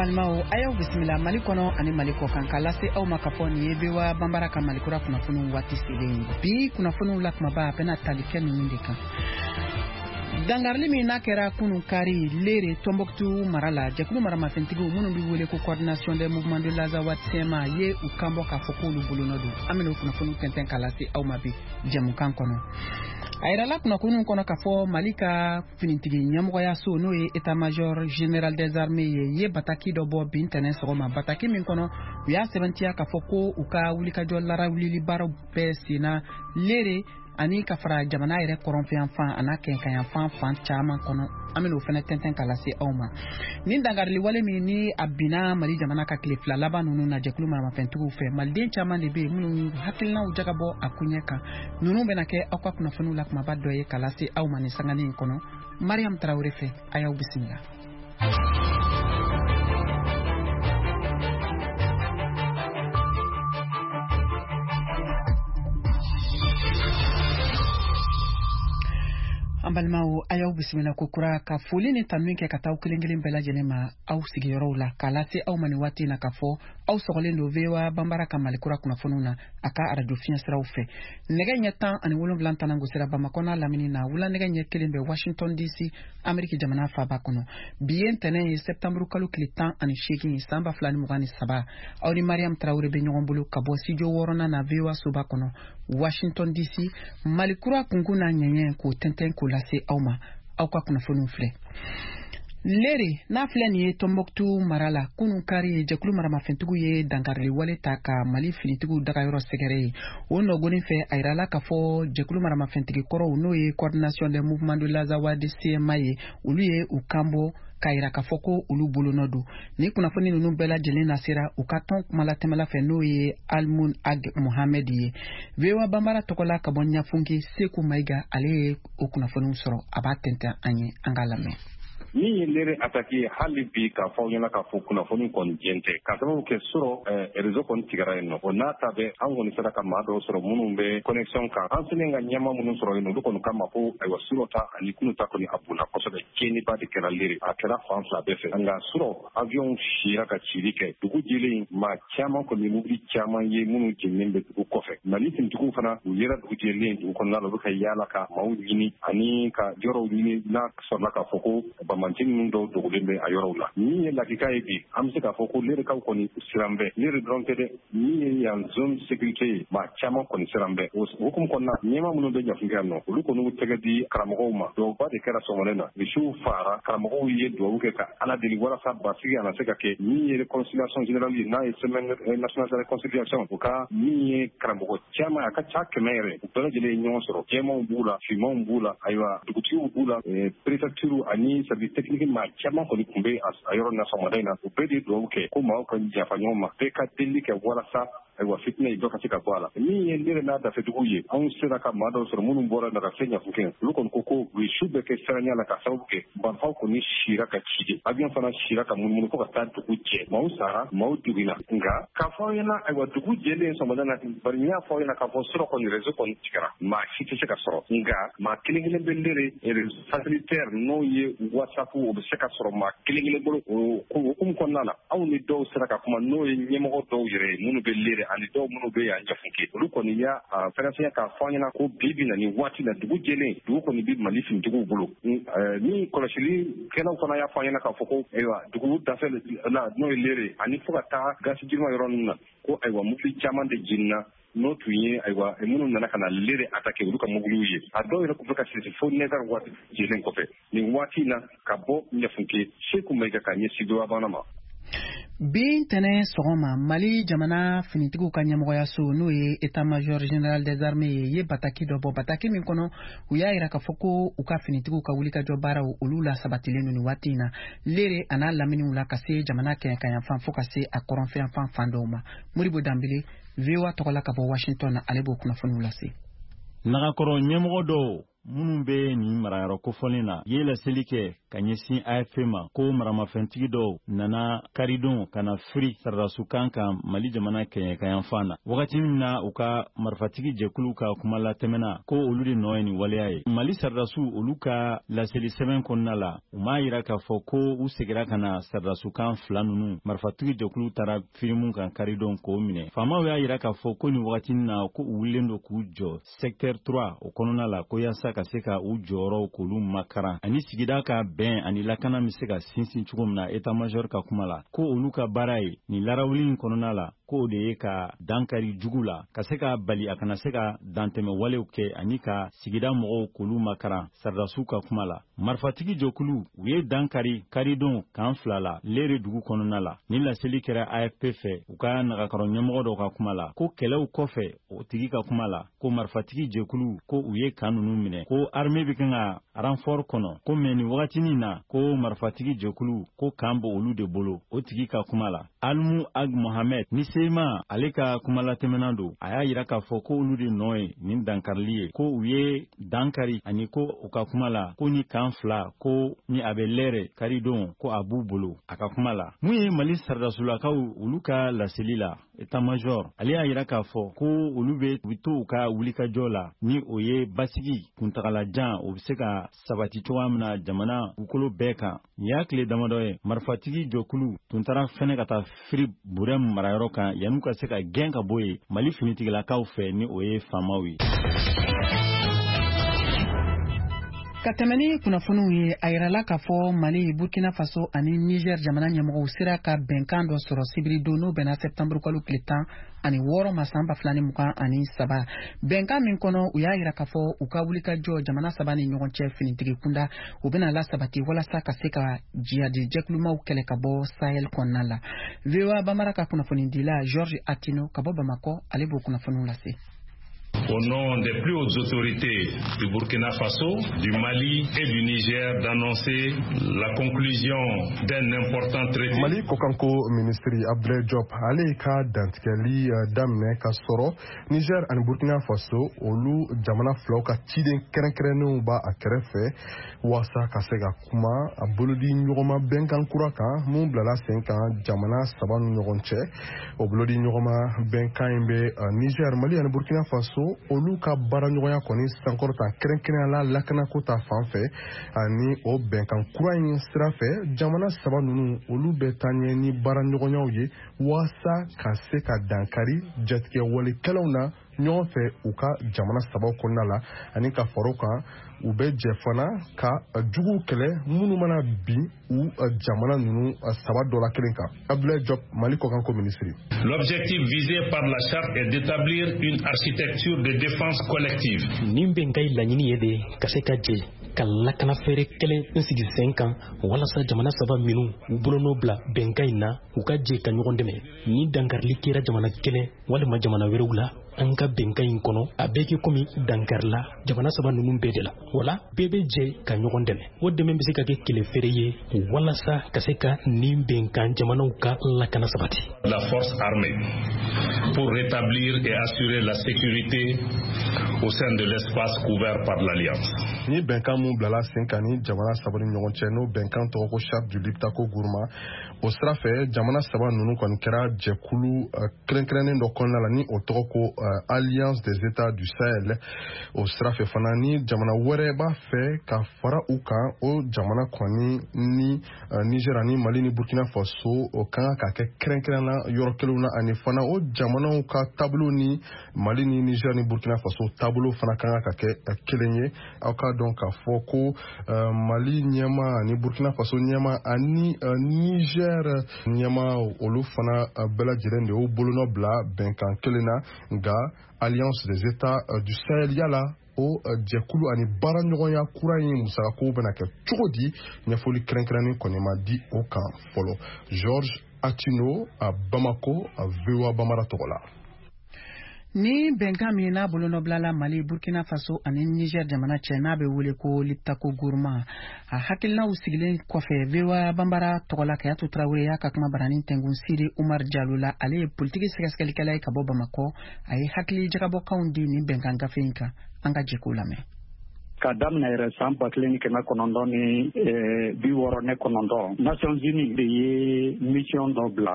Balimaw, a y'aw bisimila Mali kɔnɔ ani Mali kɔkan, k'a lase aw ma k'a fɔ nin ye VOA Banbara ka Malikura kunnafoniw waati selen ye. Bi kunnafoniw la kumaba, a bɛna tali kɛ ninnu de kan: dangarili min n'a kɛra kunun kari Lere, Tɔnbɔkutu mara la, jɛkulu maramafɛntigiw minnu bɛ wele ko Coordination des mouvements de l'Azawad CMA ye u kanbɔ k'a fɔ k'olu bolonɔ don. An bɛna o kunnafoniw tɛntɛn k'a lase aw ma bi jɛmukan kɔnɔ. A yirala kunnafoniw kɔnɔ k'a fɔ Mali ka finitigi ɲɛmɔgɔyaso, n'o ye état major général des armées ye bataki dɔ bɔ bi ntɛnɛn sɔgɔma, bataki min kɔnɔ u y'a sɛbɛntiya k'a fɔ ko u ka wulikajɔ larawulili baaraw bɛɛ senna Lere ani ka fara jamana yɛrɛ kɔrɔnfɛyanfan a n'a kɛɲɛkayanfan fan caman kɔnɔ. An bɛna o fɛnɛ tɛntɛn k'a lase aw ma. Nin dangarili wale min ni a binna Mali jamana ka tile 2 laban ninnu na jɛkulu maramafɛntigiw fɛ, maliden caman de bɛ yen minnu hakilinaw jagabɔ a koɲɛ kan. Ninnu bɛna kɛ aw ka kunnafoniw la kumaba dɔ ye k'a lase aw ma nin sanganin in kɔnɔ, Mariam Tarawele fɛ. A y'aw bisimila. An balimaw, a y'aw bisimila ko kura, ka foli ni tanu kɛ ka taa aw kelen kelen bɛɛ lajɛlen ma aw sigiyɔrɔw la, k'a lase aw ma nin waati in na k'a fɔ aw sɔgɔlen don VOA Banbara ka Malikura kunnafoniw na a ka arajo fiɲɛ siraw fɛ. Nɛgɛ ɲɛ 17 tanan gosira Bamakɔ n'a lamini na, wula nɛgɛ ɲɛ 1 bɛ Washington DC, Ameriki jamana faaba kɔnɔ. Bi ye ntɛnɛn ye, sɛptanburu kalo tile 18, san 2023. Aw ni Mariam Tarawele bɛ ɲɔgɔn bolo ka bɔ studio wɔɔrɔnan na VOA soba kɔnɔ, Washington DC. Malikura kunkun n'a ɲɛɲɛ, k'o tɛntɛn k'o lase aw ma. Aw ka kunnafoniw filɛ. Lere n'a filɛ nin ye Tɔnbɔkutu mara la, kunun kari, jɛkulu maramafɛntigiw ye dankarili wale ta ka Mali finitigiw dagayɔrɔ sɛgɛrɛ ye. O nɔgɔnin fɛ, a yirala k'a fɔ jɛkulu maramafɛntigi kɔrɔw, n'o ye Coordination des mouvements de l'Azawad CMA ye, olu ye u kanbɔ k'a yira k'a fɔ ko olu bolonɔ don. Ni kunnafoni ninnu bɛɛ lajɛlen nasera u ka tɔn kumalatɛmɛla fɛ, n'o ye Almun Ag Mohamed ye. VOA Banbara tɔgɔ la ka bɔ Ɲafunke, Seku Mayiga, ale ye o kunnafoniw sɔrɔ, a b'a tɛntɛn an ye, an k'a lamɛn. Min ye Lere attaque ye, hali bi k'a fɔ aw ɲɛna k'a fɔ kunnafoni kɔni jɛn tɛ, ka sababu kɛ sɔrɔ réseau kɔni tigɛra yen nɔ. O n'a ta bɛɛ, an kɔni sera ka maa dɔw sɔrɔ minnu bɛ connexion kan. An selen ka ɲɛma minnu sɔrɔ yen, olu kɔni kama ko ayiwa, surɔ ta ani kunu ta kɔni, a bonna kosɛbɛ. Tiɲɛniba de kɛra Lere, a kɛra fan fila bɛɛ fɛ. Nka surɔ, avion sira ka cili kɛ dugu jɛlen, maa caman kɔni, mobili caman ye minnu jeninen bɛ dugu kɔfɛ. Mali finitigiw fana, u yera dugu jɛlen dugu kɔnɔna la, u bɛ ka yaala ka maaw ɲini ani ka yɔrɔw ɲini n'a sɔrɔla k'a fɔ ko banbanci ninnu dɔw dogolen bɛ a yɔrɔw la. Min ye lakika ye bi, an bɛ se k'a fɔ ko Lerekaw kɔni siran bɛ. Lere dɔrɔn tɛ dɛ, min ye yan zone sécurité ye, maa caman kɔni siran bɛ. O hukumu kɔnɔna, ɲɛmaa minnu bɛ Ɲafunke yan nɔ, olu kɔni y'u tɛgɛ di karamɔgɔw ma. Duwawuba de kɛra sɔgɔmada na, misiw faara, karamɔgɔw ye duwawu kɛ ka Ala deli walasa basigi a na se ka kɛ. Min ye réconciliation générale ye, n'a ye Semaine nationale de réconciliation, o ka min ye karamɔgɔ caman, a ka ca 100 yɛrɛ, u bɛɛ lajɛlen ye ɲɔgɔn sɔrɔ. Jɛmanw b'u la, finmanw b'u la, ayiwa, dugutigiw b'u la, préfecture ani service technique, maa caman kɔni tun bɛ a yɔrɔ na sɔgɔmada in na. U bɛɛ de ye duwawu kɛ ko maaw ka yafa ɲɔgɔn ma, bɛɛ ka delili kɛ walasa ayiwa, fitinɛ ye dɔ ka se ka bɔ a la. Min ye Lere n'a dafɛduguw ye, anw sera ka maa dɔw sɔrɔ minnu bɔra na ka se Ɲafunke. Olu kɔni ko ko u ye su bɛɛ kɛ siranya la, ka sababu kɛ marifaw kɔni sira ka ci de, avion fana sira ka munumunu fo ka taa dugu jɛ. Maaw sara, maaw joginna. Nka k'a fɔ aw ɲɛna, ayiwa, dugu jɛlen sɔgɔmada na, bari n y'a fɔ aw ɲɛna k'a fɔ surɔ kɔni réseau kɔni tigɛra, maa si tɛ se ka sɔrɔ. Nka maa kelen kelen bɛ Lere, réseau satellitaire, n'o ye WhatsApp, o bɛ se ka sɔrɔ maa kelen kelen bolo. O hukumu kɔnɔna la, anw ni dɔw sera ka kuma, n'o ye ɲɛmɔgɔ dɔw yɛrɛ ye minnu bɛ Lere ani dɔw minnu bɛ yan Ɲafunke. Olu kɔni y'a fɛrɛfɛn k'a fɔ an ɲɛna ko bi bi na nin waati la, dugu jɛlen, dugu kɔni bɛ Mali finitigiw bolo. Ni kɔlɔsili kɛlaw fana y'a fɔ an ɲɛna k'a fɔ ko ayiwa, dugu dafɛ la, n'o ye Lere ani fo ka taa gasi jirima yɔrɔ ninnu na, ko ayiwa, mobili caman de jenina, n'o tun ye ayiwa, minnu nana ka na Lere attaquer, olu ka mobiliw ye. A dɔw yɛrɛ tun bɛ ka sisi fo 9 heures waati jɛlen kɔfɛ. Nin waati in na, ka bɔ Ɲafunke, Seku Mayiga ka ɲɛsin VOA Bamanan ma. Bi ntɛnɛn sɔgɔma, Mali jamana finitigiw ka ɲɛmɔgɔyaso, n'o ye état major général des armées ye, ye bataki dɔ bɔ, bataki min kɔnɔ u y'a yira k'a fɔ ko u ka finitigiw ka wulikajɔ baaraw, olu la sabatilen don nin waati in na Lere a n'a laminiw la, ka se jamana kɛɲɛkayanfan fo ka se a kɔrɔnfɛyanfan fan dɔw ma. Modibo Danbele, VOA tɔgɔ la ka bɔ Washington na, ale b'o kunnafoniw lase. Nagakɔrɔ ɲɛmɔgɔ dɔw Minnu bɛ nin marayɔrɔ kofɔlen na ye laseli kɛ ka ɲɛsin AFP ma ko maramafɛntigi dɔw nana karidon ka na firi sɔrɔdasiw kan Mali jamana kɛɲɛkayanfan na, wagati min na u ka marifatigi jɛkulu ka kuma latɛmɛna ko olu de nɔ ye nin waleya ye. Mali sɔrɔdasiw, olu ka laseli sɛbɛn kɔnɔna la, u m'a yira k'a fɔ ko u segira ka na sɔrɔdasiw fila ninnu marifatigi jɛkulu taara firi mun kan karidon k'o minɛ. Faamaw y'a yira k'a fɔ ko nin wagati na, ko u wulilen don k'u jɔ secteur 3 o kɔnɔna la, ko yaasa ka se ka u jɔyɔrɔw k'olu makaran ani sigida ka bɛn ani lakana bɛ se ka sinsin cogo min na. État major ka kuma la, ko olu ka baara ye nin larawuli in kɔnɔna la, ko o de ye ka dankari jugu la, ka se ka bali a kana se ka dantɛmɛ walew kɛ ani ka sigida mɔgɔw k'olu makaran. Sɔrɔdasiw ka kuma la, marifatigi jɔkulu u ye dankari karidon kan fila la Lere dugu kɔnɔna la. Ni laseli kɛra AFP fɛ, u ka nagakɔrɔ ɲɛmɔgɔ dɔ ka kuma la, ko kɛlɛw kɔfɛ, o tigi ka kuma la, ko marifatigi jɛkulu ko u ye kan ninnu minɛ, ko armée bɛ kan ka renfort kɔnɔ, ko mɛ nin wagatinin na, ko marifatigi jɛkulu ko kan bɔ olu de bolo. O tigi ka kuma la, Almu Ag Mohamed ni Sema, ale ka kumalatɛmɛna don, a y'a yira k'a fɔ ko olu de nɔ ye nin dankarili ye, ko u ye dankari ani ko u ka kuma la, ko ni kan fila ko ni a bɛ Lɛrɛ karidon, ko a b'u bolo. A ka kuma la, mun ye Mali sɔrɔdasulakaw olu ka laseli la, état major ale y'a yira k'a fɔ ko olu bɛ u to u ka wulikajɔ la, ni o ye basigi kuntagalajan o bɛ se ka sabati cogoya min na jamana dugukolo bɛɛ kan. Nin y'a tile damadɔ ye marifatigi jɔkulu tun taara fɛnɛ ka taa firi Burɛm marayɔrɔ kan yan'u ka se ka gɛn ka bɔ yen Mali finitigilakaw fɛ, ni o ye faamaw ye. Ka tɛmɛ ni kunnafoniw ye, a yirala k'a fɔ Mali, Burkina Faso ani Niger jamana ɲɛmɔgɔw sera ka bɛnkan dɔ sɔrɔ sibiri don, n'o bɛnna sɛptanburu kalo tile 16 ma san 2023. Bɛnkan min kɔnɔ, u y'a yira k'a fɔ u ka wulikajɔ jamana saba ni ɲɔgɔn cɛ finitigi kunda, u bɛna lasabati walasa ka se ka jihadi jɛkulumaw kɛlɛ ka bɔ Sahel kɔnɔna la. VOA Bambara ka kunnafonidila George Atino ka bɔ Bamakɔ, ale b'o kunnafoniw lase. Au nom des plus hautes autorités du Burkina Faso, du Mali et du Niger, d'annoncer la conclusion d'un important traité. Mali kɔkanko minisiri Abdoulaye Diop, ale ka dantigɛli daminɛ ka sɔrɔ Niger ani Burkina Faso, olu jamana filaw ka ciden kɛrɛnkɛrɛnnenw b'a a kɛrɛfɛ waasa ka se ka kuma a bolodi ɲɔgɔnma bɛnkan kura kan mun bilala sen kan jamana saba ni ɲɔgɔn cɛ. O bolodi ɲɔgɔnma bɛnkan in bɛ Niger, Mali ani Burkina Faso olu ka baaraɲɔgɔnya kɔni sankɔrɔta, kɛrɛnkɛrɛnnenya la lakanako ta fan fɛ. Ani o bɛnkan kura in sira fɛ, jamana saba ninnu olu bɛ taa ɲɛ ni baaraɲɔgɔnyaw ye waasa ka se ka dankari jatigɛwalekɛlaw na ɲɔgɔn fɛ u ka jamana sabaw kɔnɔna la, ani ka fara o kan, u bɛ jɛ fana ka juguw kɛlɛ minnu mana bin u jamana ninnu saba dɔ la kelen kan. Abdoulaye Diop, Mali kɔkanko minisiri. L'objectif visé par la charte est d'établir une architecture de défense collective. Nin bɛnkan in laɲini ye de ka se ka jɛ ka lakana fɛɛrɛ kelen n sigi sen kan walasa jamana saba minnu u bolonɔ bila bɛnkan in na, u ka jɛ ka ɲɔgɔn dɛmɛ ni dankarili kɛra jamana kelen walima jamana wɛrɛw la an ka bɛnkan in kɔnɔ. A bɛɛ kɛ komi dankarila jamana saba ninnu bɛɛ de la, wala bɛɛ bɛ jɛ ka ɲɔgɔn dɛmɛ. O dɛmɛ bɛ se ka kɛ kɛlɛ feere ye walasa ka se ka nin bɛnkan jamanaw ka lakana sabati. La force armée pour rétablir et assurer la sécurité au sein de l'espace couvert par l'Alliance. Ni bɛnkan mun bilala sen kan ni jamana saba ni ɲɔgɔn cɛ, n'o bɛnkan tɔgɔ ko Charte du Liptako Gourma, o sira fɛ jamana saba ninnu kɔni kɛra jɛkulu kɛrɛnkɛrɛnnen dɔ kɔnɔna la, ni o tɔgɔ ko Alliance des États du Sahel. O sira fɛ fana, ni jamana wɛrɛ b'a fɛ ka fara u kan, o jamana kɔni ni Niger ani Mali ni Burkina Faso, o kan ka kɛ kɛrɛnkɛrɛnna yɔrɔ kelenw na, ani fana o jamanaw ka taabolo ni Mali ni Niger ni Burkina Faso taabolo fana kan ka kɛ kelen ye. Aw k'a dɔn k'a fɔ ko Mali ɲɛma ani Burkina Faso ɲɛma ani Niger ɲɛma, olu fana bɛɛ lajɛlen de y'u bolonɔ bila bɛnkan kelen na. Nka Alliance des États du Sahel, yala o jɛkulu ani baaraɲɔgɔnya kura in musakako bɛna kɛ cogo di? Ɲɛfɔli kɛrɛnkɛrɛnnen kɔni ma di o kan fɔlɔ. George Atino a Bamako, a VOA Bamara tɔgɔ la. Ni bɛnkan min n'a bolonɔbilala Mali, Burkina Faso ani Niger jamana cɛ, n'a bɛ wele ko Liptako Gourma, a hakilinaw sigilen kɔfɛ, VOA Bambara tɔgɔla Kayatu Tarawele y'a ka kuma baranin tɛngun Siri Umar Jalo la. Ale ye politiki sɛgɛsɛgɛlikɛla ye ka bɔ Bamakɔ. A ye hakili jagabɔkanw di nin bɛnkan gafe in kan. An ka jɛ k'o lamɛn. Ka daminɛ yɛrɛ san 1969, Nations Unies de ye mission dɔ bila.